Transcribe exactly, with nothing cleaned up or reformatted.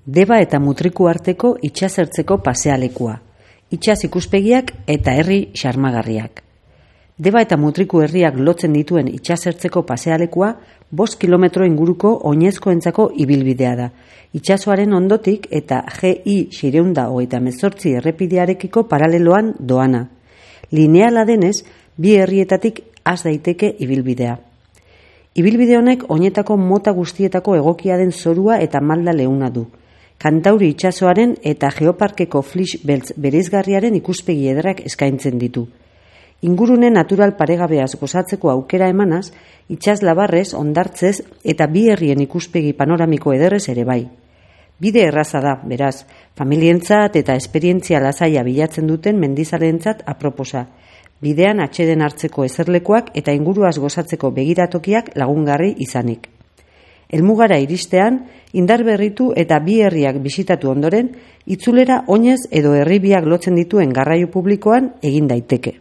Deba eta Mutriku arteko itsasertzeko pasealekua, itsas ikuspegiak eta herri xarmagarriak. Deba eta Mutriku herriak lotzen dituen itsasertzeko pasealekua bost kilometro inguruko oinezkoentzako ibilbidea da. Itsasoaren ondotik eta G I seiehun eta hogeita hemezortzi errepidearekiko paraleloan doana. Lineala denez, bi herrietatik has daiteke ibilbidea. Ibilbide honek oinetako mota guztietako egokia den zorua eta malda leuna du. Kantauri itsasoaren eta Geoparkeko Flix beltz bereizgarriaren ikuspegi ederrak eskaintzen ditu. Ingurune natural paregabeaz gozatzeko aukera emanaz, itsas labarrez, hondartzez eta bi herrien ikuspegi panoramiko ederrez ere bai. Bide erraza da, beraz, familientzat eta esperientzia lasaia bilatzen duten mendizalentzat aproposa. Bidean atseden hartzeko ezerlekoak eta inguruaz gozatzeko begiratokiak lagungarri izanik. Helmugara iristean, indar berritu eta bi herriak bisitatu ondoren, itzulera oinez edo herri biak lotzen dituen garraio publikoan egin daiteke.